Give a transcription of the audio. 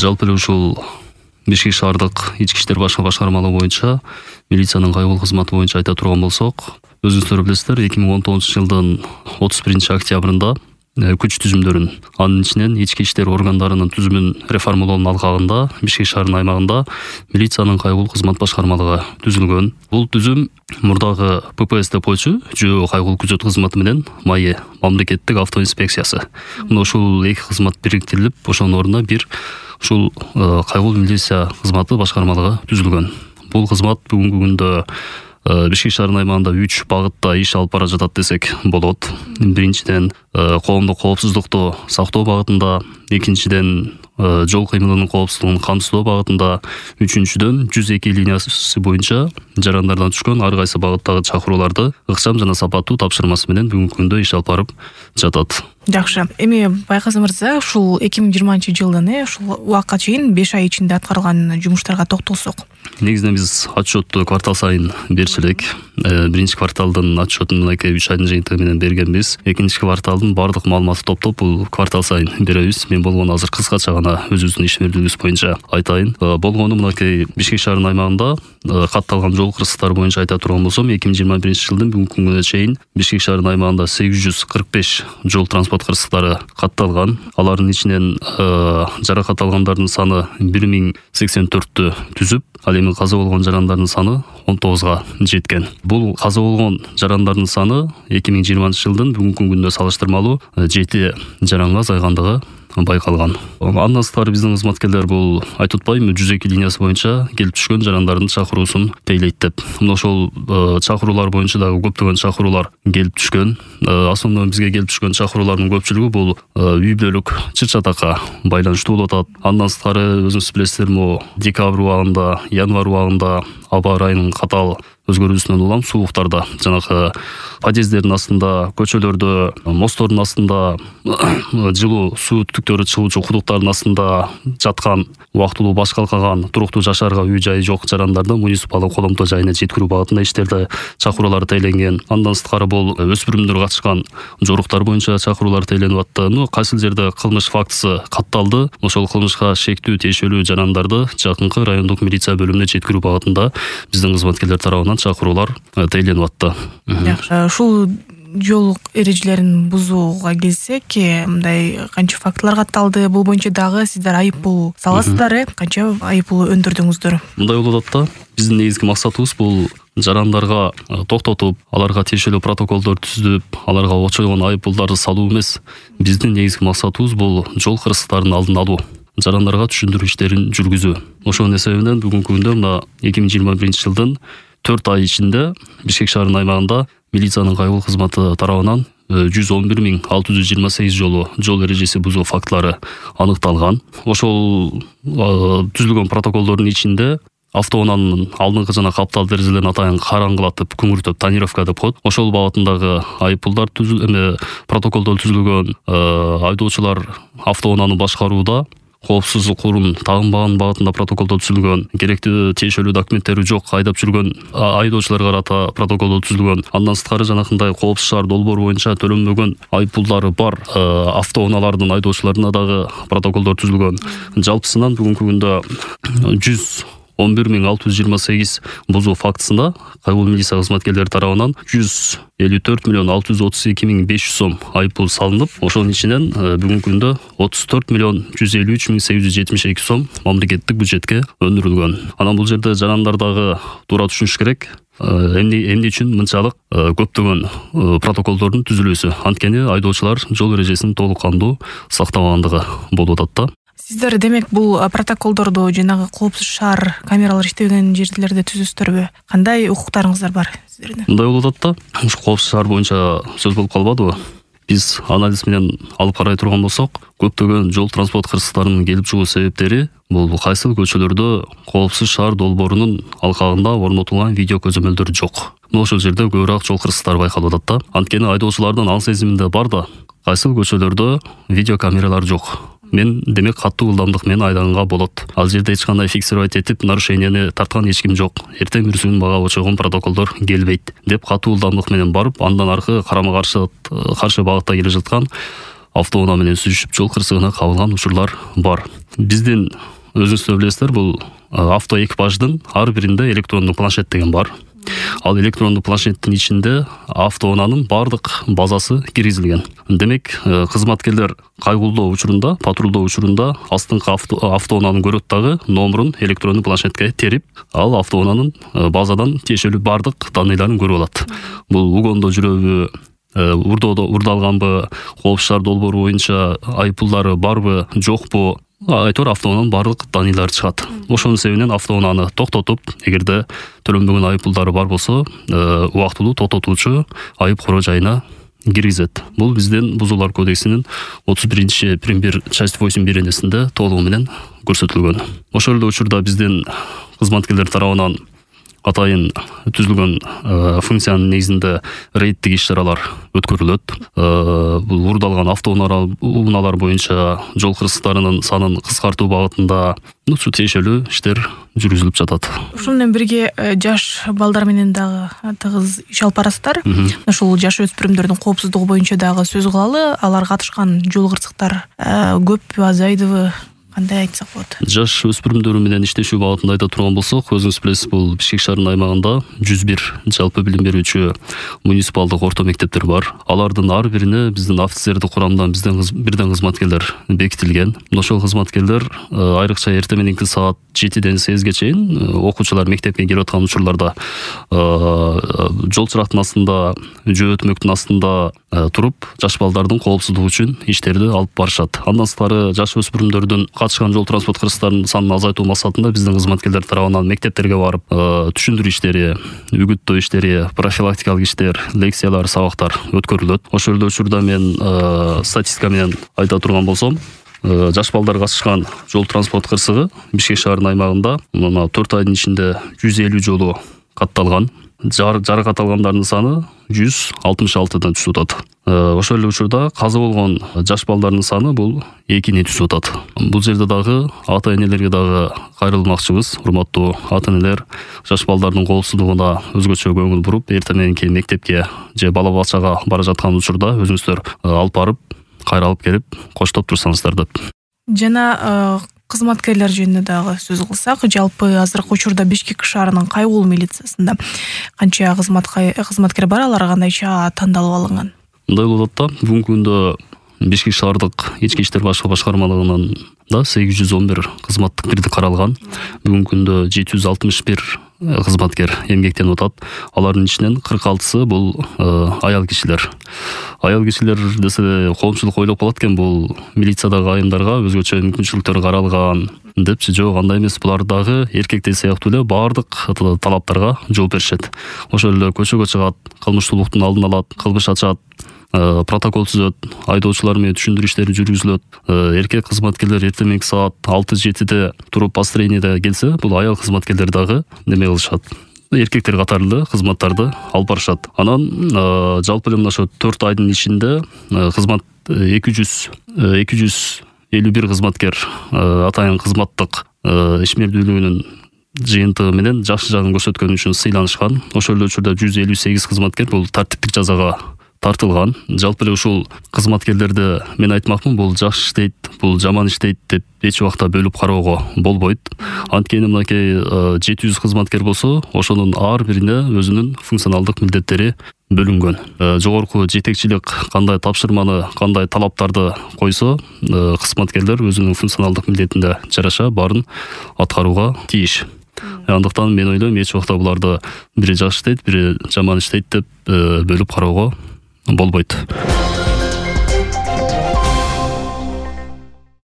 Жалпы эле ушул Бишкек шаардык ички иштер башкармалыгы боюнча милициянын кайгылуу кызматы боюнча айта турган болсок, өзүңүздөр билесиздер, 2019-жылдын 31-октябрында күч түзүмдөрүн, анын ичинен ички иштер органдарынын түзүмүн реформалоонун алкагында Бишкек шаарынын аймагында милициянын кайгылуу кызмат башкармалыгы түзүлгөн. Бул түзүм мурдагы ППС деп койчу жөө кайгылуу күзөт кызматы менен МАЕ мамлекеттик автоинспекциясы. Мына ушул эки кызмат бириктирилип, ошонун ордуна бир ушул кайгылуу милиция кызматы башкармалыгы түзүлгөн. Бул кызмат бүгүнкү күндө Бишкек шаарынын аймагында 3 багытта иш алып бара жатат десек болот. Биринчиден коомдук коопсуздукту сактоо багытында, экинчиден жол кыймылынын коопсуздугун камсыздоо багытында, үчүнчүдөн 102 линиясы боюнча жарандардан түшкөн ар кайсы багыттагы чакырууларды ыкчам жана сапаттуу тапшырмасы менен бүгүнкү күндө иш алып барып жатат. Жакшы. Эми Байказы мырза, ушул 2020-жылдын ушул убакка чейин 5 ай ичинде аткарган жумуштарга токтолсок. Негизинен биз отчетту квартал сайын берчү элек. Биринчи кварталдын отчетун 3 айдын жыйынтыгы менен бергенбиз. Экинчи кварталдын бардык маалыматын топтоп бул квартал сайын беребиз. Мен болгону азыр кыскача гана өзүбүздүн ишмердүүлүгүбүз боюнча айтайын. Болгону мынакей Бишкек шаарынын аймагында катталган жол кырсыктары боюнча айта турган болсом, 2021-жылдын бүгүнкү күнгө чейин Бишкек шаарынын аймагында 845 жол транспорт кырсыктары катталган. Алардын ичинен жаракат алгандардын саны 1084-тү түзүп, ал эми каза болгон жарандардын саны 19га жеткен. Бул каза болгон жарандардын саны 2020-жылдын бүгүнкү күндө салыштырмалуу 7 жаранга азайгандыгы байкалган. Андан сырткары биздин кызматкерлер бул айтып атпайбы, 102 линиясы боюнча келип түшкөн жарандардын чакыруусун тейлейт деп. Мына ошол чакыруулар боюнча дагы көптөгөн чакыруулар келип түшкөн. Основной бизге келип түшкөн чакыруулардын көпчүлүгү бул үй бүлөлүк чыр-чатакка байланыштуу болуп атат. Андан сырткары өзүңүз билесиздер, декабрь убагында, январь убагында аба ырайынын катаал өзгөрүүсүнөн улам сууктарда, жанагы подъезддердин астында, көчөлөрдө, мосттордун астында, жылуу суу түтүктөрү чыгуучу кудуктардын астында жаткан, убактылуу баш калкаган, туруктуу жашаарга үй жайы жок жарандарды муниципалдык коломто жайына жеткирүү багытында иштерде чакыруулар тейлеңген. Андан сырткары бул өспүрүмдөр катышкан жоруктар боюнча чакыруулар тейленип атты. Кайсыл жерде кылмыш фактысы катталды, ошол кылмышка шектүү тиешелүү жарандарды жакынкы райондук милиция бөлүмүнө жеткирүү багытында биздин кызматкерлер тарабынан чакыруулар тейленип атты. Ушул жол эрежелерин бузууга келсек, мындай канча фактылар катталды? Бул боюнча дагы сиздер айыппул саласыздар, канча айыппул өндүрдүңүздөр? Мындай болуп атат да. Биздин негизги максатыбыз бул жарандарга токтотуп, аларга тиешелүү протоколдор түзүп, аларга очойгон айыппулдарды салуу эмес. Биздин негизги максатыбыз бул жол кырсыктарынын алдын алуу, жарандарга түшүндүрүү иштерин жүргүзүү. Ошонун эсебинен бүгүнкү күндө мына 2021-жылдын 4 ай ичинде Бишкек шаарынын аймагында милициянын кайгылуу кызматы тарабынан 111.628 жолу жол эрежеси бузуу фактылары аныкталган. Ошол түзүлгөн протоколдордун ичинде автоунаанын алдыңкы жана каптал терезелерин атайын караңгылатып, күңүртөп, тонировка деп коет. Ошол багытындагы айыппулдар протоколдор түзүлгөн. Айдоочулар автоунааны башкарууда коопсуздук урун тагынбаган багытында протоколдор түзүлгөн, керектүү тиешелүү документтери жок айдап жүргөн айдоочуларга карата протоколдор түзүлгөн. Андан сырткары жанакындай коопсуз шаар долбоору боюнча төлөнбөгөн айыппулдары бар автоунаалардын айдоочуларына дагы протоколдор түзүлгөн. Жалпысынан бүгүнкү күндө 111.628 бузуу фактысында кайгылуу милиция кызматкерлери тарабынан 154.632.500 сом айыппул салынып, ошонун ичинен бүгүнкү күндө 34.153.872 сом мамлекеттик бюджетке өндүрүлгөн. Анан бул жерде жарандар дагы туура түшүнүш керек. Эмне үчүн мынчалык көптөгөн протоколдордун түзүлүүсү? Анткени айдоочулар жол эрежесин толук кандуу сактабагандыгы болуп атат да. Сиздер демек бул протоколдорду жанагы коопсуз шаар камералар иштебеген жерлерде түзөсүздөрбү? Кандай укуктарыңыздар бар сиздердин? Мындай болуп атат да. Ушу коопсуз шаар боюнча сөз болуп калбадыбы? Биз анализ менен алып карай турган болсок, көптөгөн жол транспорт кырсыктарынын келип чыгуу себептери бул кайсыл көчөлөрдө коопсуз шаар долбоорунун алкагында орнотулган видео көзөмөлдөр жок. Ошол жерде көбүрөөк жол кырсыктары байкалып атат да. Анткени айдоочулардын аң сезиминде бар да, кайсыл көчөлөрдө видео камералар жок. Мен демек каттуу ылдамдык менен айдаганга болот. Ал жерде эч кандай фиксировать этип, нарушенияны тарткан эч ким жок. Эртең бүрсүн мага очойгон протоколдор келбейт деп каттуу ылдамдык менен барып, андан аркы каршы багытта келе жаткан автоунаа менен сүзүшүп жол кырсыгына кабылган учурлар бар. Биздин өзүңүз билесиздер, бул авто экипаждын ар биринде электрондук планшет деген бар. Ал электрондук планшеттин ичинде автоунаанын бардык базасы киргизилген. Демек, кызматкерлер кайгылдоо учурунда, патрулдоо учурунда астыңкы автоунааны көрөт дагы номерун электрондук планшетке терип, ал автоунаанын базадан тиешелүү бардык данныйларын көрүп алат. Бул угондо жүрөбү, урдалганбы, коопсуздук долбоору боюнча айыппулдары барбы, жокпу, айтор автоунаанын бардык данныйлары чыгат. Ошонун себебинен автоунааны токтотуп, эгерде төлөнбөгөн айыппулдары бар болсо, убактылуу токтотуучу айып короо жайына киргизет. Бул биздин Бузуулар кодексинин 31-пункт 1 часть 8 беренесинде толугу менен көрсөтүлгөн. Ошол эле учурда биздин кызматкерлер тарабынан атайын түзүлгөн функциянын негизинде рейдтик иш-чаралар өткөрүлөт. Бул урдалган автоунаалар боюнча жол кырсыктарынын санын кыскартуу багытында тиешелүү иштер жүргүзүлүп жатат. Ушун менен бирге жаш балдар менен дагы тыгыз иш алып барасыздар. Ушул жаш өспүрүмдөрдүн коопсуздугу боюнча дагы сөз кылалы. Алар катышкан жол кырсыктар көппү, азайдыбы? Кандай айтсак болот? Жаш өспүрүмдөр менен иштешүү багытында айта турган болсок, өзүңүз билесиз, бул Бишкек шаарынын аймагында 101 жалпы билим берүүчү муниципалдык орто мектептер бар. Алардын ар бирине биздин офицердик курамдан бирден кызматкерлер бекитилген. Ошол кызматкерлер айрыкча эртең мененки саат 7-ден 8-ге чейин окуучулар мектепке келип аткан учурларда жол чырактын астында, жөө өтмөктүн астында туруп, жаш балдардын коопсуздугу үчүн иштерди алып барышат. Андан сырткары жаш өспүрүмдөрдүн катышкан жол транспорт кырсыктарынын санын азайтуу максатында биздин кызматкерлер тарабынан мектептерге барып, түшүндүрүү иштери, үгүттөө иштери, профилактикалык иштер, лекциялар, сабактар өткөрүлөт. Ошол эле учурда мен статистика менен айта турган болсом, жаш балдар катышкан жол транспорт кырсыгы Бишкек шаарынын аймагында 4 айдын ичинде 150 жолу катталган. Жаракат алгандардын саны 166-дан түшүп атат. Ошол эле учурда каза болгон жаш балдардын саны бул 2-ни түшүп атат. Бул жерде дагы ата-энелерге дагы кайрылмакчыбыз. Урматтуу ата-энелер, жаш балдардын коопсуздугуна өзгөчө көңүл буруп, эртең мененки мектепке же бала бакчага бара жаткан учурда өзүңүздөр алып барып, кайра алып келип, коштоп турсаңыздар деп. Жана кызматкерлер жөнүндө дагы сөз кылсак, жалпы азыркы учурда Бишкек шаарынын кайгыл милициясында канча кызматкер бар, алар кандайча тандалып алынган? Мындай болот да, бүгүнкү күндө Бишкек шаардык ички иштер башкармалыгынан да 811 кызматтык бирдик каралган. Бүгүнкү күндө 761 кызматкер эмгектенип атат. Алардын ичинен 46сы бул аял кишилер. Аял кишилер десе коомчулук ойлоп калат экен, бул милициядагы айымдарга өзгөчө мүмкүнчүлүктөр каралган депчи. Жок, андай эмес. Булар дагы эркектер сыяктуу эле бардык талаптарга жооп беришет. Ошол эле көчөгө чыгат, кылмыштуулуктун алдын алат, кылмыш ачат, протокол түзөт, айдоочулар менен түшүндүрүү иштери жүргүзүлөт. Эркек кызматкерлер эртең мененки саат 6-7-де туруп построенияда келсе, бул аял кызматкерлер дагы неме кылышат. Эркектер катарлы кызматтарды алып барышат. Анан жалпы эле мына ошо 4 айдын ичинде кызмат 251 кызматкер атайын кызматтык ишмердүүлүгүнүн жыйынтыгы менен жакшы жагын көрсөткөнү үчүн сыйланышкан. Ошол эле учурда 158 кызматкер бул тартиптик жазага тартылган. Жалпы эле ушул кызматкерлерди мен айтмакмын, бул жакшы иштейт, бул жаман иштейт деп эч убакта бөлүп кароого болбойт. Анткени мынакей 700 кызматкер болсо, ошонун ар бирине өзүнүн функционалдык милдеттери бөлүнгөн. Жогорку жетекчилик кандай тапшырманы, кандай талаптарды койсо, кызматкерлер өзүнүн функционалдык милдетине жараша баарын аткарууга тийиш. Андыктан мен ойлойм, эч убакта буларды бири жакшы иштейт, бири жаман иштейт деп бөлүп кароого болбойт.